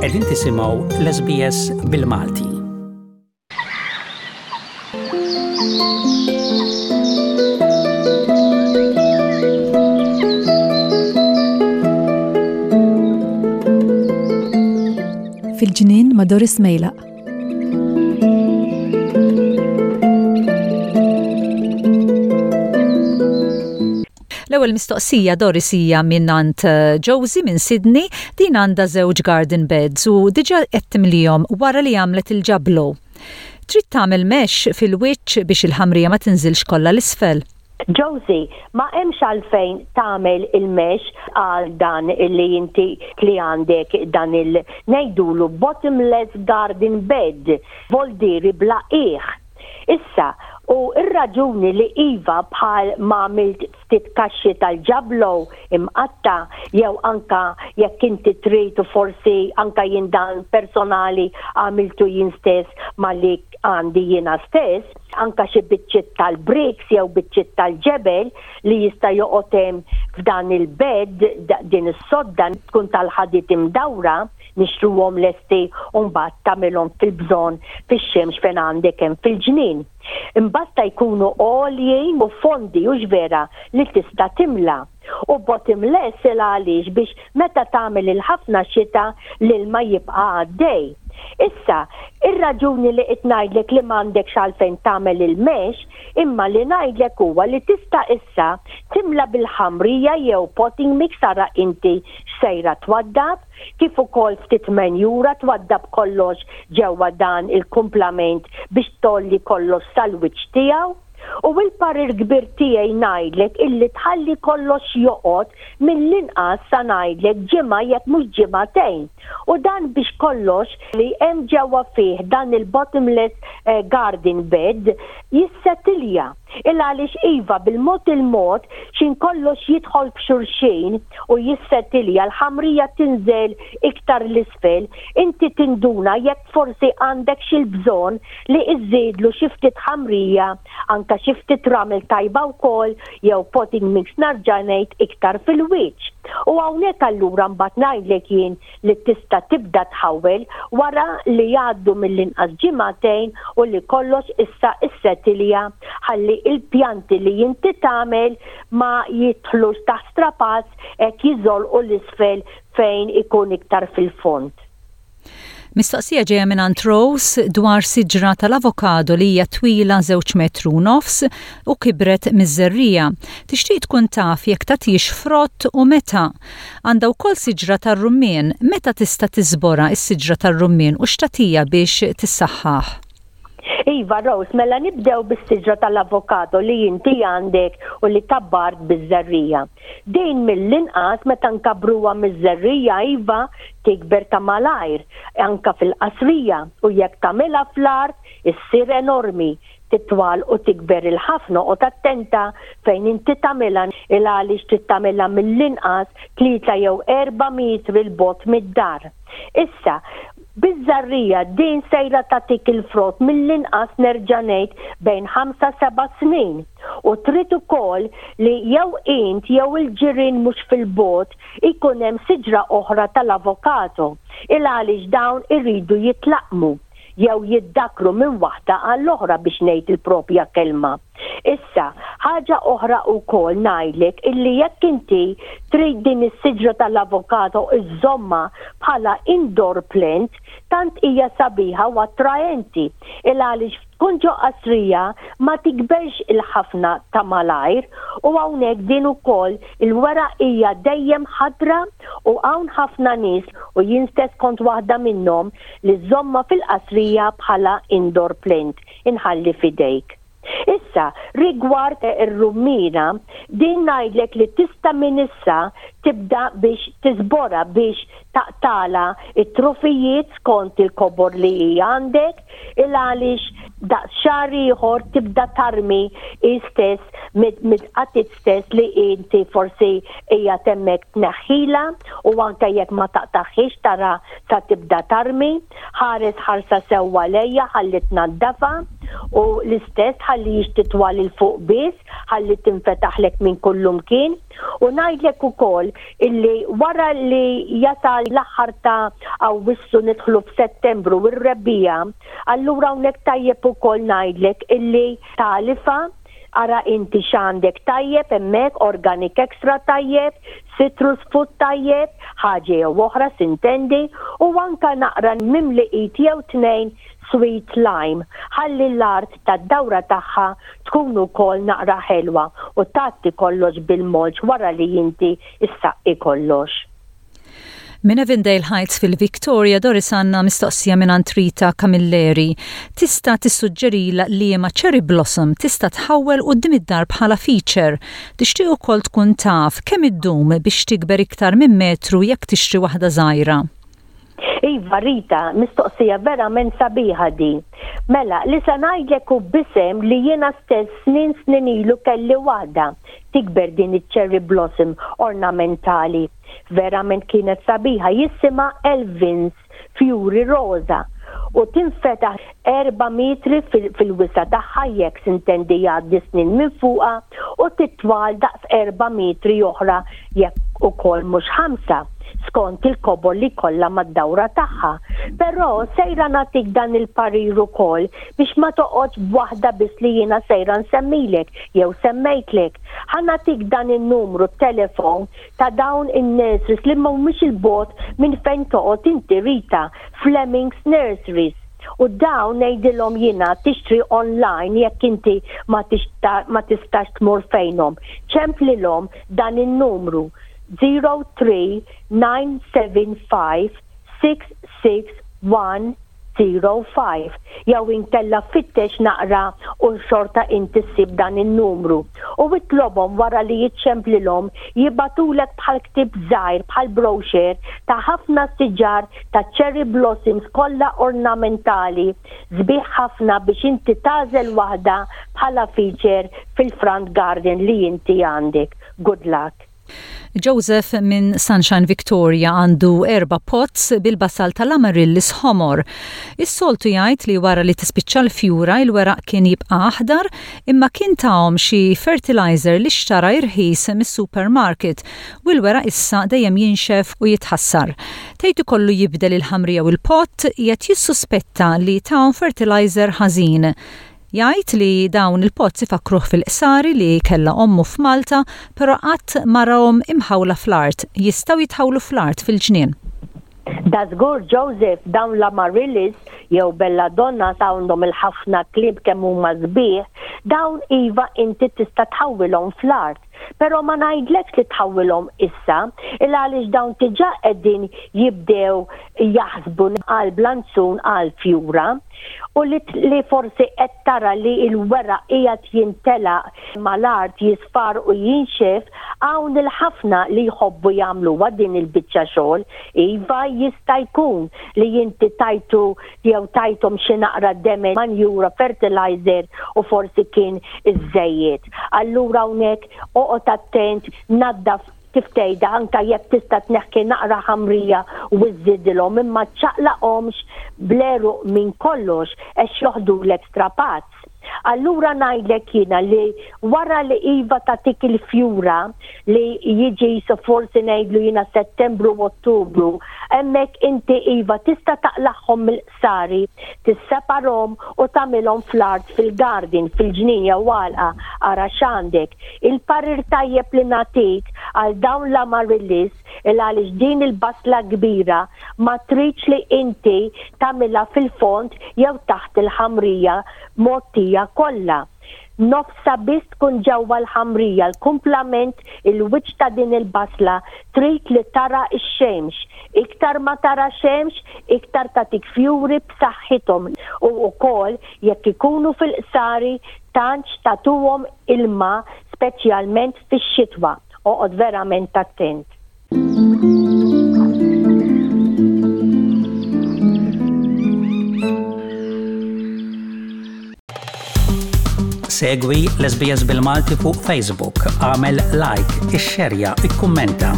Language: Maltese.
Qegħdin tisimgħu l-SBS bil-Malti. Fil-ġnien ma' Doris Mejlaq. L-ewwel mistoqsija Doris hija mingħand eh, Josie minn Sydney, din għandha żewġ garden beds u diġà qed timlihom wara li għamlet il-ġablo. Trid tagħmel mesh fil-wiċċ biex il-ħamrija ma tinżilx kollha l-isfel. Josie, ma hemmx għalfejn tagħmel il-mesh għal dan li inti li għandek dan il ngħidulu bottomless garden bed, voldieri bla qiegħ. Issa, u r-raġuni li iva bħal ma għamilt ftit kaxxi tal-ġablow imqatta' jew anka jekk inti trid u forsi anka jien dan personali għamiltu jien stess ma li għandi jiena stess, anka xi biċċiet tal-bricks jew biċċiet tal-ġebel li jista' joqgħod hemm f'dan il-bed, din is-sodda tkun tal-ħadid imdawra, nixtruhom lesti u mbagħad tagħmilhom fil-bżonn fix-xemx fejn għandek hemm fil-ġnien. Imbasta jkunu għoljin u fondi hux vera li tista' timla. U bottomless il għaliex biex meta tagħmel il-ħafna xita l-ilma jibqa' għaddej. Issa, ir-raġuni li qed ngħidlek li m'għandekx għalfejn tagħmel il-mesh, imma li ngħidlek huwa li tista' issa timla bil-ħamrija jew potting mix ara inti x'sejra twaddab, kif ukoll ftit menjura twaddab kollox ġewwa dan il-kumplament biex tgħolli kollox sal-wiċċ tiegħu. U il-parir kbir tiegħi ngħidlek illi tħalli kollox joqgħod mill-inqas sa ngħidlek ġimgħa jekk mhux ġimagħtejn. U dan biex kollox li hemm ġewwa fih dan il-bottomless garden bed jissetilja. Il għaliex iva bil-mod il-mod x'in kollox jidħol f'xulxin u jissetilja l-ħamrija tinżel iktar 'l isfel, inti tinduna jekk forsi għandek xi l-bżonn li iżżidlu xi ftit ħamrija, anke xi ftit ramel tajba wkoll jew potting mix narġa' ngħid iktar fil-wiċċ. U hawnhekk allura mbagħad ngħidlek jien li tista' tibda tħawwel wara li jgħaddu mill-inqas ġimagħtejn u li kollox issa issetilja ħalli il-pjanti li inti tagħmel ma jidħlux taħt strapazz hekk jiżolqu 'l isfel fejn ikun iktar fil-fond. Mistoqsija ġejja mingħand Rose dwar siġra tal-avokado li hija twila żewġ metru u nofs u kibret miż-żerriegħa. Tixtieq tkun taf jekk tagħtix frott u meta. Għandha wkoll siġra tar-rummien. Meta tista' tiżborha s-siġra tar-rummien u x'tagħtiha biex tissaħħaħ? Iva Rose, mela nibdew bis-siġra tal-avokado li inti għandek u li kabbart biż-żerriegħa. Din mill-inqas meta nkabbruha miż-żerriegħa iva tikber ta' malajr, anke fil-qasrija u jekk tagħmilha fl-art issir enormi, titwal u tikber il-ħafna oqgħod attenta fejn inti tagħmilha il għaliex trid tagħmilha mill-inqas tlieta jew erba' metri 'l bogħod mid-dar. Issa, Biż-żarrija din sejra tagħtik il-frott mill-inqas nerġa' ngħid bejn ħamsa seba' snin. U trid ukoll li jew int jew il-ġirien mhux fil-bogħod ikun hemm siġra oħra tal-avokado il għaliex dawn iridu jitlaqqmu jew jiddakkru minn waħda għall-oħra biex ngħid il-propja kelma. Issa, ħaġa oħra wkoll ngħidlek illi jekk inti trid din is-siġra tal-avokado iżżommha bħala indoor plant, tant hija sabiħa u attraenti il għaliex tkun ġo qasrija ma tikberx il-ħafna ta' malajr u hawnhekk din ukoll il-weraq hija dejjem ħadra u hawn ħafna nies u jien stess kont waħda minnhom li żżommha fil-qasrija bħala indoor plant. Inħalli f'idejk. Issa, rigward ir-rummina, din ngħidlek li tista' minn issa tibda biex tiżborha biex taqtagħlha t-trufijiet skont il-kobor li hi għandek, il għaliex daqs xahar ieħor tibda tarmi hi stess mid-qatit stess li inti forsi qiegħed hemmhekk tneħħilha u anke jekk ma taqtagħhiex tara sa tibda tarmi. Ħares ħarsa sewwa lejha ħalli tnaddafha u l-istess tħallihiex titwal 'il fuq biss ħalli tinfetaħlek minn kullumkien. U ngħidlek ukoll illi wara li jasal l-aħħar ta' Awwissu nidħlu f'Settembru u r-rebbiegħa, allura hawnhekk tajjeb ukoll ngħidlek illi tagħlifha, ara inti x'għandek tajjeb hemmhekk, organic extra tajjeb, citrus food tajjeb, ħaġa jew oħra sintendi, u anka naqra mimli id jew tnejn sweet lime, ħalli l-art tad-dawra tagħha tkun ukoll naqra ħelwa u tgħatti kollox bil-mulch wara li inti ssaqqi kollox. Minn Avondale Heights fil-Victoria, Doris għandna mistoqsija mingħand Rita Camilleri. Tista' tissuġġerilha liema cherry blossom tista' tħawwel quddiem id-dar bħala feature. Tixtieq ukoll tkun taf kemm iddum biex tikber iktar minn metru jekk tixtri waħda żgħira. Iva Rita, mistoqsija verament sabiħa din. Mela, li se ngħidlek hu b'isem li jiena stess snin snin ilu kelli waħda tikber din iċ-cherry blossom ornamentali. Verament kienet sabiħa, jisimha Elvins fjuri roża u tinfetaħ erba' metri fil-wisa' tagħha jekk sintendi jgħaddi snin minn fuqha u titwal daqs erba' metri oħra jekk ukoll mhux ħamsa, skont il-kobor li jkollha mad-dawra tagħha. Però sejra nagħtik dan il-parir ukoll biex ma toqgħodx b'waħda biss li jiena sejra nsemmilek jew semmejtlek. Ħa nagħtik dan in-numru telefon ta' dawn in-nurseries li mhumiex 'il bogħod minn fejn toqgħod inti Rita, Fleming's Nurseries. U dawn ngħidilhom jiena tixtri online jekk inti ma ma tistax tmur fejnhom. Ċemplilhom dan in-numru 03975 661 05 jew inkella fittex naqra u xorta inti ssib dan in-numru u itlobhom wara li iċċemplilhom jibagħtulek bħal ktieb żgħir bħal brochure ta' ħafna siġar ta' cherry blossoms kollha ornamentali sbieħ ħafna biex inti tagħżel waħda bħala feature fil-front garden li inti għandek. Good luck. Joseph minn Sunshine Victoria għandu erba' pots bil-basal tal-amaryllis ħomor. Is-soltu jgħid li wara li tispiċċa l-fjura il-weraq kien jibqa' aħdar imma kien tahom xi fertilizer li xtara irħis mis-supermarket u l-weraq issa dejjem jinxef u jitħassar. Tgħid ikollu jibdel il-ħamrija u l-pot, qiegħed jissuspetta li tahom fertilizer ħażin. Jgħid li dawn il-pots ifakkruh fil-qsari li kellha ommu f'Malta però qatt ma rahom imħawla fl-art. Jistgħu jitħawlu fl-art fil-ġnien. Dażgur Joseph, dawn l-amaryllis jew belladonnas għandhom il-ħafna kliem kemm huma sbieħ, dawn iva inti tista' tħawwilhom fl-art. Però ma ngħidlekx li tħawwilhom issa, il għaliex dawn diġà qegħdin jibdew jaħsbu għal blanzun għal fjura. U li li forsi qed tara li l-weraq qiegħed jintelaq mal-art jisfar u jinxef, hawn il-ħafna li jħobbu jagħmluha din il-biċċa xogħol. Iva jista' jkun li inti tajtu jew tajthom xi naqra demel manjura fertilizer u forsi kien iżżejjed. Allura hawnhekk oqgħod attent naddaf kif tgħidha anke jekk tista' tneħħi naqra ħamrija u żżidilhom imma ċċaqlaqhomx bl-għeruq minn kollox għax joħdulek strapazz. Allura ngħidlek jiena li wara li iva tagħtik il-fjura li jiġi so forsi ngħidlu jiena Settembru u Ottubru, hemmhekk inti iva tista' taqlagħhom mill-qsari, tisseparhom u tagħmilhom fl-art fil-garden, fil-ġnien jew għalqa, ara x'għandek. Il-parir tajjeb li nagħtik għal dawn l-amaryllis il għaliex din il-basla kbira ma tridx li inti tagħmilha fil-fond jew taħt il-ħamrija mgħottija kollha. Nofsha biss tkun ġewwa l-ħamrija, l-kumplament il-wiċċ ta' din il-basla trid li tara x-xemx. Iktar ma tara xemx, iktar tagħtik fjuri b'saħħithom u wkoll jekk ikunu fil-qsari tantx tagħtuhom ilma speċjalment fix-xitwa. Oqgħod verament attent. Segwi l-SBS bil-Malti fuq Facebook, għamel like, ixxerja, ikkummenta.